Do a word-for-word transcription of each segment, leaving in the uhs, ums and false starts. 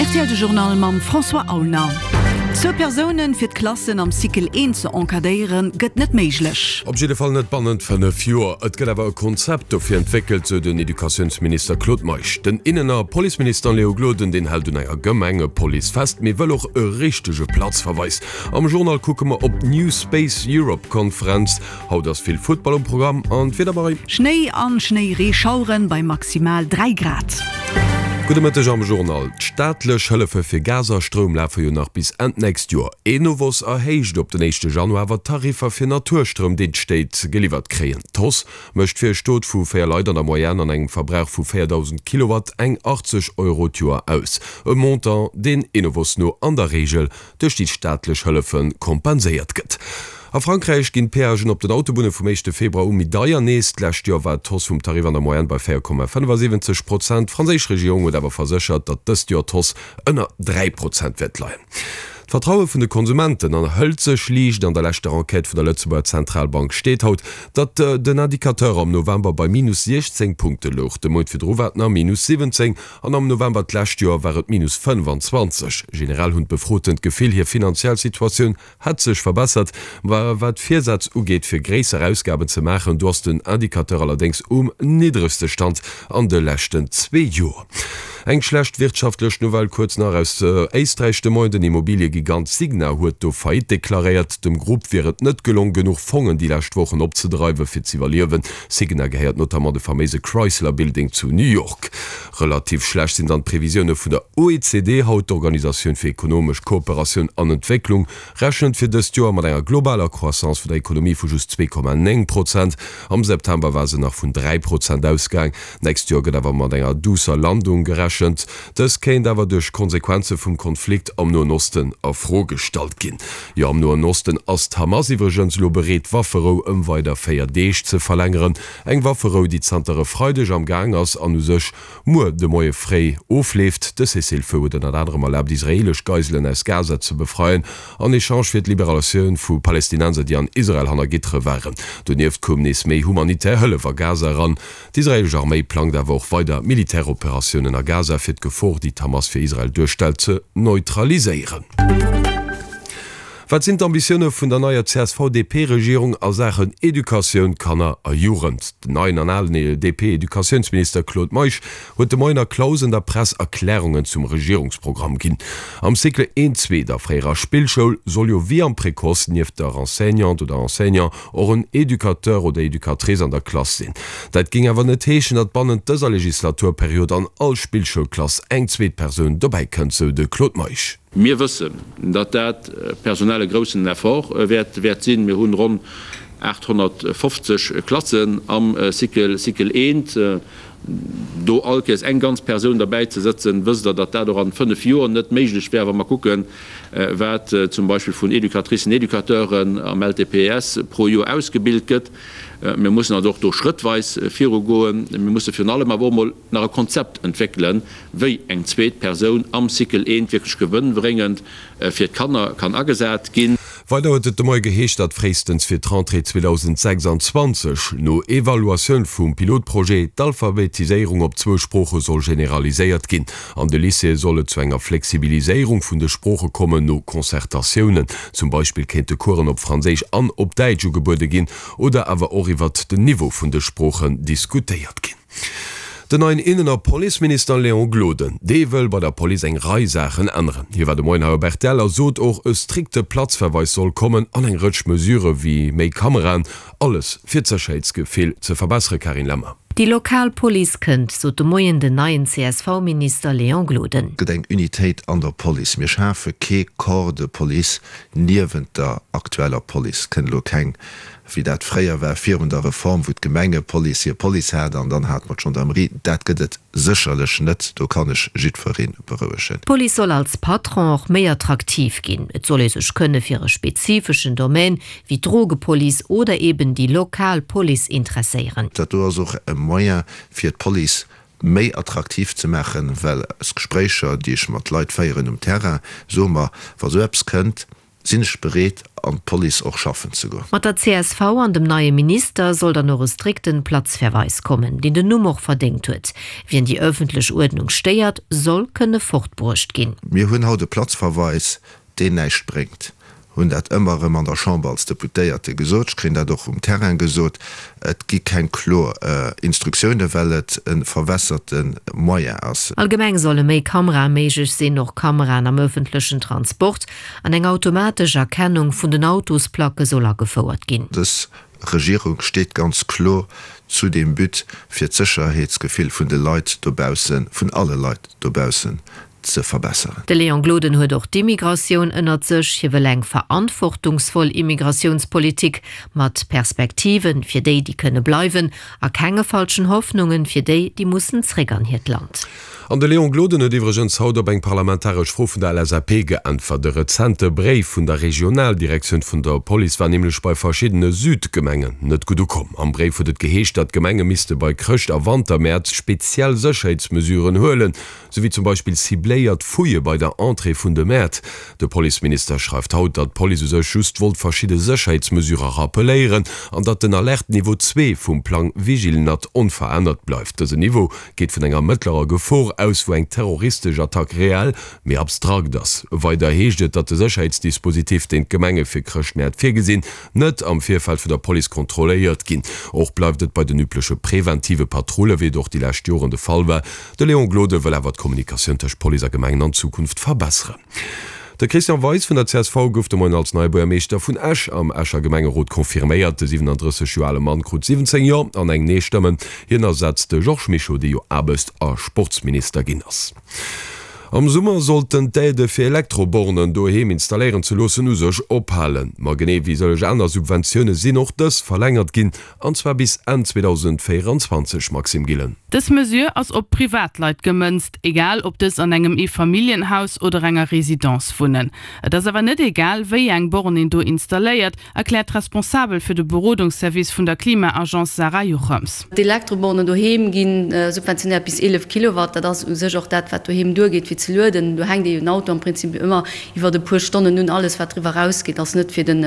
R T L de Journal mam François Aulner. Zwou Persounen fir d'Klassen am Cycle eent ze encadréieren, gëtt net méiglech. Op jidde Fall net bannent fënnef Joer. Et gëtt awer e Konzept dofir entwéckelt, sou den Educatiounsminister Claude Meisch. Den Innen a Policeminister Léo Gloden, deen hält un enger Gemengepolice fest, mee wëll och e richtege Platzverweis. Am Journal kucke mer op d'New Space Europe Konferenz. Haut ass vill Futtball um Programm an d'Wieder, Marie? Schnéi an Schnéireeschaueren bei maximal dräi Grad. Gudde Mëtteg am Journal. D'staatlech Hëllefe fir Gas a Stroum lafe jo nach bis Enn d'nächst Joer. Enovos erhéicht op den éischte Januar awer d'Tariffer fir Naturstroum, deen d'Stéit geliwwert kréien. D'Hausse mécht fir e Stot vu véier Leit an der Moyenne an engem Verbrauch vu véierdausend Kilowatt eng achtzeg Euro d'Joer aus. E Montant, deen Enovos no an der Reegel duerch déi staatlech Hëllefe kompenséiert gëtt. A Frankräich ginn d'Peagen op den Autobunne vum éischte Februar u méi deier nees. D'lescht Joer war d'Hausse vum Tarif an der Moyenne bei véier Komma fënnefasiwwenzeg Prozent. D'franséisch Regierung huet awer verséchert, datt dëst Joer d'Hausse ënner dräi Prozent wäert leien. D'Vertraue vun de Konsumenten erhëlt sech liicht. An der leschter Enquête vun der Lëtzebuerger Zentralbank steet haut, datt den Indicateur am November bei minus siechzéng Punkte louch. De Mount virdru war et nach minus siwwenzéng an am November d'lescht Joer war et minus fënnfanzwanzeg. Generell hunn d'Befroten d'Gefill, hir finanziell Situatioun hätt sech verbessert. Ma wat d'Virsätz ugeet, fir gréisser Ausgaben ze maachen, do ass den Indicateur allerdéngs um niddregste Stand an de leschten zwee Joer. Eng schlecht wirtschaftlech Nouvelle kuerz nach aus Éisträich de Moien, Den Immobiliëgigant Signa huet do Faillite deklaréiert. Dem Grupp wier et net gelong, genuch Fongen déi lescht Wochen opzedreiwen, fir z'iwwerliewen. Signa gehéiert notamment de faméise Chrysler Building zu New York. Relativ schlecht sinn dann d'Previsioune vun der O E C D haut. D'Organisatioun fir ekonomesch Kooperatioun an Entwécklung rechent fir dëst Joer mat enger globaler Croissance vun der Ekonomie vu just zwee Komma néng Prozent. Am September war se nach vun dräi Prozent ausgaang. D'nächst Joer gëtt awer mat enger duusser Landung gerechent. Dës kéint awer duerch Konsequenze vum Konflikt am Noen Osten a Fro gestallt ginn. Jo, am Noen Osten ass d'Hamas iwwregens elo bereet, d'Wafferou ëm weider véier Deeg ze verlängeren. Eng Wafferou, déi zanter e Freideg am Gaang ass an u sech muer de Moie fréi ofleeft. De Cessez-le-feu huet ënnert anerem erlaabt, israeelesch Geiselen aus Gaza ze befreien, en Echange fir d'Liberatioun vu Palestinenser, déi an Israel hanner Gittere waren. Donieft koum nees méi humanitär Hëllef a Gaza eran. D'israeelesch Arméi plangt awer och weider Militäroperatiounen a Gaza, fir d'Gefor, déi d'Hamas fir Israel duerstellt, ze neutraliséieren. Wat sinn d'Ambitioune vun der neier C S V D P-Regierung a Saachen Educatioun, Kanner a Jugend? Den neien an alen D P-Educatiounsminister Claude Meisch huet de Moien a Clausen der Press Erklärungen zum Regierungsprogramm ginn. Am Cycle eent, zwee der fréierer Spillschoul soll jo wéi am Précoce nieft der Enseignante oder Enseignant och en Educateur oder Educatrice an der Klass sinn. Dat géing awer net heeschen, datt bannent dëser Legislaturperiod an all Spillschoulklass eng zweet Persoun dobäi kënnt, sou de Claude Meisch. Mir wëssen, datt dat personell e groussen Effort wäert wäert sinn. Mir hunn ronn aathonnertfofzeg Klassen am Cycle Cycle eent. Do all Kéiers eng ganz Persoun derbäi ze sëtzen, wësst Der, datt dat och an fënnef Joer net méiglech wär, wa mer kucken, wat zum Beispill vun Educatricen, Educateuren am L T P E S pro Joer ausgebilt gëtt. Mir mussen also och do schrëttweis virugoen. Mir musse virun allem awer och emol nach e Konzept entwéckelen, wéi eng zweet Persoun am Cycle eent wierklech gewënnbréngend fir d'Kanner kann agesat ginn. Weider huet et de Moie geheescht, datt fréistens fir d'Rentrée zweedausendsechsanzwanzeg no Evaluatioun vum Pilotprojet d'Alphabetiséierung op zwou Sprooche soll generaliséiert ginn. An de Lycéeë soll et zu enger Flexibiliséierung vun de Sprooche kommen, no Concertatiounen. Zum Beispill kéinte Coursen op Franséisch an op Däitsch ugebuede ginn oder awer och iwwert den Niveau vun de Sproochen diskutéiert ginn. Den neien Innen a Policeminister Léon Gloden, dee wëll bei der Police eng Rei Saachen änneren. Hie war de Moien hei op R T L a sot och, e strikte Platzverweis soll kommen an eng Rëtsch Mesurë wéi méi Kameraen, alles fir d'Sécherheetsgefill ze verbessere. Carine Lemmer. Déi lokal Police kënnt, sot de Moien den neien C S V-Minister Léon Gloden. Gëtt eng Unitéit an der Police. Mir schafe kee Corps de police niewent der aktueller Police. Kënnt elo keng, wéi dat fréier war virun der Reform, wou d'Gemengepolice hir Police hat an dann hat mer d'Gendarmerie. Dat gëtt et sécherlech net, do kann ech jiddweree berouegen. D'Police soll als Patron och méi attraktiv ginn. Et soll ee sech kënne fir e spezifeschen Domaine wéi d'Drogepolice oder eben déi lokal Police interesséieren. Dat do ass och e Moyen fir d'Police méi attraktiv ze maachen, well aus Gespréicher, déi ech mat Leit féieren um Terrain, soe mer, wa sou eppes kënnt, sinn ech bereet an d'Police och schaffen ze goen. Mat der csv an dem neie Minister soll dann och e strikten Platzverweis kommen, deen den Numm och verdéngt huet. Wien déi ëffentlech Uerdnung stéiert, soll kënne fortbruecht ginn. Mir hunn haut e Platzverweis, deen näischt bréngt. Hunn dat ëmmer erëm an der Chamber als Deputéierte gesot, ech kréien dat och um Terrain gesot, et gi keng kloer Instruktiounen, well et e verwässerte Moyen ass. Allgemeng solle méi Kamerae méiglech sinn, och Kameraen am ëffentlechen Transport, an eng automatesch Erkennung vun den Autosplacke soll agefouert ginn. Dës Regierung steet ganz kloer zu deem But, fir d'Sécherheetsgefill vun de Leit dobaussen, vun alle Leit dobaussen ze verbesseren. De Léon Gloden huet och d'Immigratioun ënnert sech. Hie wëll eng verantwortungsvoll Immigratiounspolitik mat Perspektiven fir déi, déi kënne bleiwen, a kenge falschen Hoffnungen fir déi, déi mussen zréck an hiert Land. An de Léon Gloden huet iwwregens haut op eng parlamentaresch Fro vun der LSAP geäntwert. E rezente Bréif vun der Regionaldirektioun vun der Police war nämlech bei verschiddene Südgemengen net gutt ukomm. Am Bréif huet et geheescht, datt d'Gemenge misste bei Chrëscht a Wantermäert speziell Sécherheetsmesuren huelen, sou wéi zum Beispill cibléiert Fouillë bei der Entrée vun de Mäert. De Policeminister schreift haut, datt d'Police u sech just wollt verschidde Sécherheetsmesurë rappeléieren an datt den Alerte-Niveau zwee vum Plang Vigilnat onverännert bleift. Dësen Niveau geet vun enger mëttlerer Gefor aus, wou eng terroristesch Attack reell, mee abstrakt ass. Weider heescht et, datt de Sécherheetsdispositif, deen d'Gemenge fir Chrëschtmäert virgesinn, net am Virfeld vun der Police kontrolléiert ginn. Och bleift et bei den übleche preventive Patrulle, wéi et och déi lescht Joren de Fall war. De Léon Gloden wëll awer d'Kommunikatioun tëscht Police a Gemengen an Zukunft verbesseren. De Christian Weis vun der csv gouf de Moien als neie Buergermeeschter vun Esch am Escher Gemengerot confirméiert. De siwenandrësseg Joer ale Mann krut siwwenzéng Jo an eng Nee-Stëmmen. Hien ersetzt de Georges Mischo, dee jo Aarbechts a Sportsminister ginn ass. Am Summer sollten d'Aidë fir Elektrobornen doheem installéieren ze loossen u sech ophalen. Ma genee wéi sëlleg aner Subventioune sinn och dës verlängert ginn, an zwar bis Enn zweedausendvéierundzwanzeg Maxime Gillen. Dës Mesure ass op Privatleit gemënzt, egal ob dës an engem Eefamilljenhaus oder enger Residence wunnen. Et ass awer net egal, wéi eng Born een do installéiert, erkläert d'Responsabel fir de Berodungsservice vun der Klima-Agence Sarah Jochems. D'Elektrobornen doheem gi subventionéiert bis eelef Kilowatt. Dat ass u sech och dat, wat doheem duergeet fir ze lueden. Do hänkt ee jo den Auto am Prinzip ëmmer iwwert e puer Stonnen un. Alles, wat driwwer erausgeet, ass net fir den,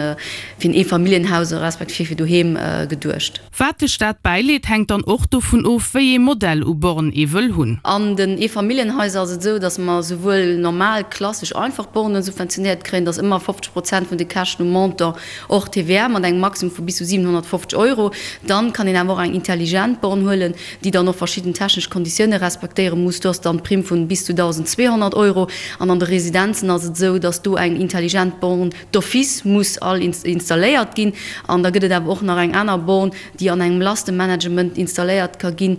fir en Eefamilljenhaus respektiv fir doheem geduecht. Wat de Staat bäileet, hänkt dann och dovun of, wéi ee Modell u Born ee wëll hunn. An den Eefamilljenhaiser ass et esou, datt mer souwuel normal, klassesch, einfach Bornen subventionéiert kréien, datt ëmmer fofzeg Prozent vun de Käschten um Montant hors T V A mat engem Maximum vu bis zu siwenhonnertfofzeg Euro. Dann kann een awer och eng intelligent Born huelen, déi dann och verschidden technesch Konditioune respektéiere muss. Do ass dann d'Primm vun bis zu dausendzweehonnert Euro. An an de Residenzen ass et esou, datt do eng intelligent Born d'office muss all installéiert ginn. An da gëtt et awer och nach eng aner Born, déi an engem Lastemanagement installéiert ka ginn.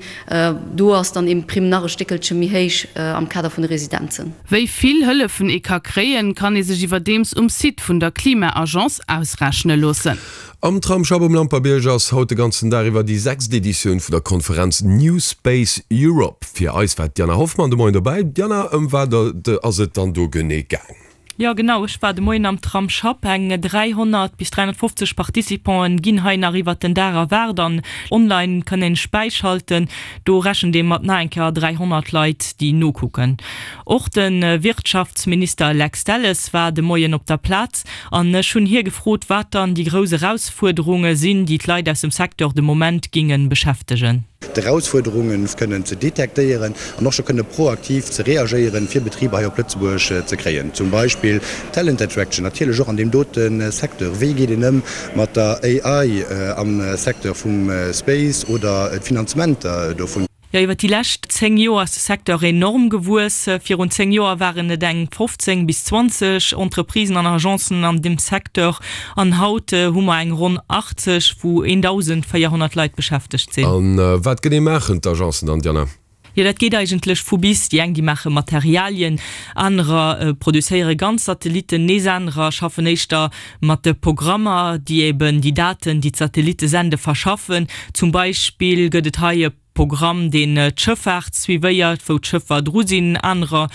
Do ass dann eben d'Primm nach e Stéckelche méi héich am Kader vun de Residenzen. Wéi vill Hëllefen ee ka kréien, kann ee sech iwwerdeems um Site vun der Klima-Agence ausrechne loossen. Am Tramsschapp um Lampertbierg ass haut de ganzen Dag iwwer déi sechst Editioun vun der Konferenz New Space Europe. Fir eis war d'Diana Hoffmann de Moien dobäi. Diana, ëm wat ass et dann do genee gaang? Jo genau, ech war de Moien am Tramsschapp. Eng dräihonnert bis dräihonnertfofzeg Participanten ginn hei nach iwwert den Dag erwaart an online kann een sech bäischalten. Do rechent ee mat nach eng Kéier dräihonnert Leit déi nokucken. Och de Wirtschaftsminister Lex Delles war de Moien op der Plaz an ech hunn hie gefrot wat dann déi grouss Erausfuerderunge sinn déi d'Leit aus dem Secteur de Moment géinge beschäftegen. D'Erausfuerderunge kënnen ze detektéieren an och scho kënne proaktiv ze reagéieren, fir Betriber hei op Lëtzebuerg ze kréien. Zum Beispill Talent Attraction, natierlech och an deem dote Secteur. Wéi geet een ëm mat der A I am Secteur vum Space oder d'Finanzementer dovun? Jo, iwwer déi lescht zéng Joer ass de Secteur enorm gewuess. Virun zéng Joer waren et eng fofzéng bis zwanzeg Entreprisen an Agencen an deem Secteur an haut hu mer eng ronn achtzeg, wou eentausendvéierhonnert Leit beschäftegt sinn. A wat genee maachen d'Agencen dann, Diana? Jo, dat geet eigentlech vu bis. Déi eng, déi maache Materialien, anerer produzéiere ganz Satellitten, nees anerer schaffen éischter mat de Programmer, déi eben déi Daten, déi d'Satellitte sende, verschaffen. Zum Beispill gëtt et hei e Programm, deen d'Schëffaart suivéiert, wou d'Schëffer dru sinn. Anerer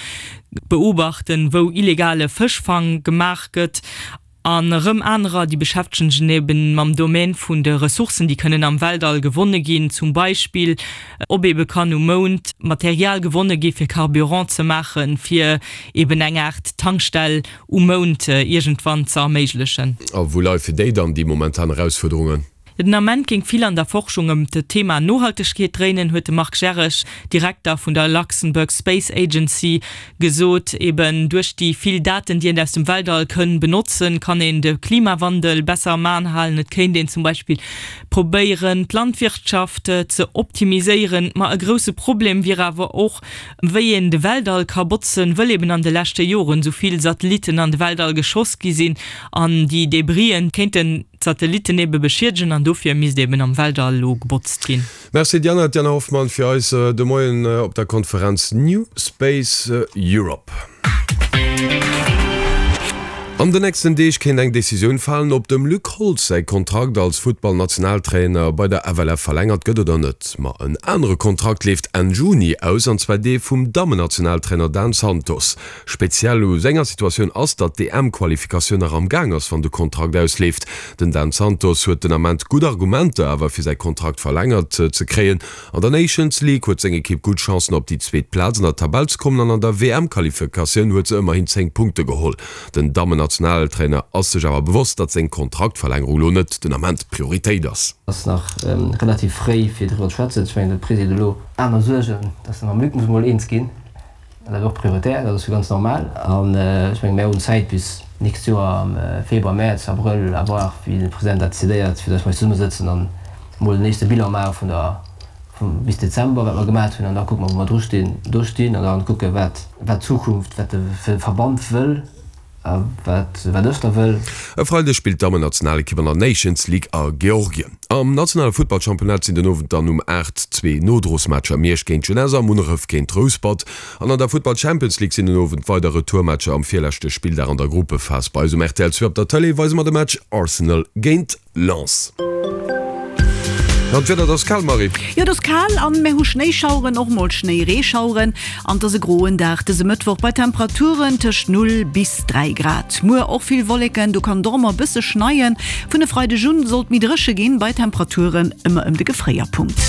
beobachten, wou illegale Fëschfang gemaach gëtt. An erëm anerer, déi beschäftegen sech eben mam Domaine vun de Ressourcen, déi kënnen am Weltall gewonne ginn, zum Beispill ob ebe kann um Mound Material gewonne gi fir Carburant ze maachen, fir eben eng Aart Tankstell um Mound iergendwann ze erméiglechen. A wou leie fir déi dann déi momentan Erausfuerderungen? Den Ament géing vill an der Forschung ëm d'Thema Nohaltegkeet dréinen, huet de Marc Gerich, Direkter vun der Luxembourg Space Agency, gesot. Eben duerch déi vill Daten, déi een aus dem Weltall kënn benotzen, kann een de Klimawandel besser am Aen halen. Et kéint een zum Beispill probéieren, d'Landwirtschaft ze optimiséieren. Ma e grousse Problem wier awer och, wéi een de Weltall ka botzen, wëll eben an de leschte Joren esou vill Satellitten an de Weltall geschoss gi sinn an déi Debrisen kéinten d'Satellitten ebe beschiedegen an dofir misst eben am Weltall elo gebotzt ginn. Merci Diana. D'Diana Hoffmann fir eis de Moien op der Konferenz New Space Europe. An den nächsten Deeg kéint eng Decisioun falen, ob dem Luc Holtz säi Kontrakt als Futtballnationaltrainer bei der F L F verlängert gëtt oder net. Ma en anere Kontrakt leeft Enn Juni aus, an zwar dee vum Dammennationaltrainer Dan Santos. Speziell u senger Situatioun ass, datt d'E M-Qualifikatioun nach am Gaang ass, wann de Kontrakt ausleeft. Den Dan Santos huet den Ament gutt Argumenter awer fir säi Kontrakt verlängert ze kréien. An der Nations League huet seng Ekipp gutt Chancen op déi zweet Plaz an der Tabell ze kommen an an der W M-Qualifikatioun huet se ëmmerhin zéng Punkte geholl. Den Dammennationaltrainer ass sech awer bewosst, datt seng Kontraktverlängerung lo net den Ament Prioritéit ass. Ass nach relativ fréi fir driwwer ze schwätzen. Ech mengen, de President huet elo aner Suergen, datt e mam Luc muss emol eens ginn. Dat ass och prioritär, dat ass jo ganz normal. An ech mengen, mir hunn Zäit bis d'nächst Joer am Februar, Mäerz, Abrëll, à voir wéi de President dat decidéiert, fir datt mer eis zesummesëtzen an emol den éischte Bilan maache vun der, vum bis Dezember, wat mer gemat hunn. An da kucke mer, wou mer dru stinn, do stinn an da kucke wat, wat d'Zukunft, wat de Verband wëll a wat, wat ech da wëll. E Freideg spillt d'Dammennationalekipp an der Nations League a Georgien. Am nationale Futtballchampionnat sinn den Owend dann um aacht zwee Nodrosmatcher, Miersch géint Jeunesse a Munneref géint Rouspert. An an der Futtball Champions League sinn den Owend weider Retourmatcher am virleschte Spilldag an der Gruppephas. Bei eis um R T L zwee op der Tëlee weise mer de Match Arsenal géint Lens. An d'Wieder, et ass kal, Marie. Jo, et ass kal an mir hu Schnéischaueren, och mol Schnéireeschaueren. An et ass e groen Dag dëse Mëttwoch bei Temperaturen tëscht null bis dräi Grad. Muer och vill Wolleken, do kann et och mol e bësse schneien. Vun e Freideg un soll et méi dréche ginn, bei Temperaturen ëmmer ëm de Gefréierpunkt.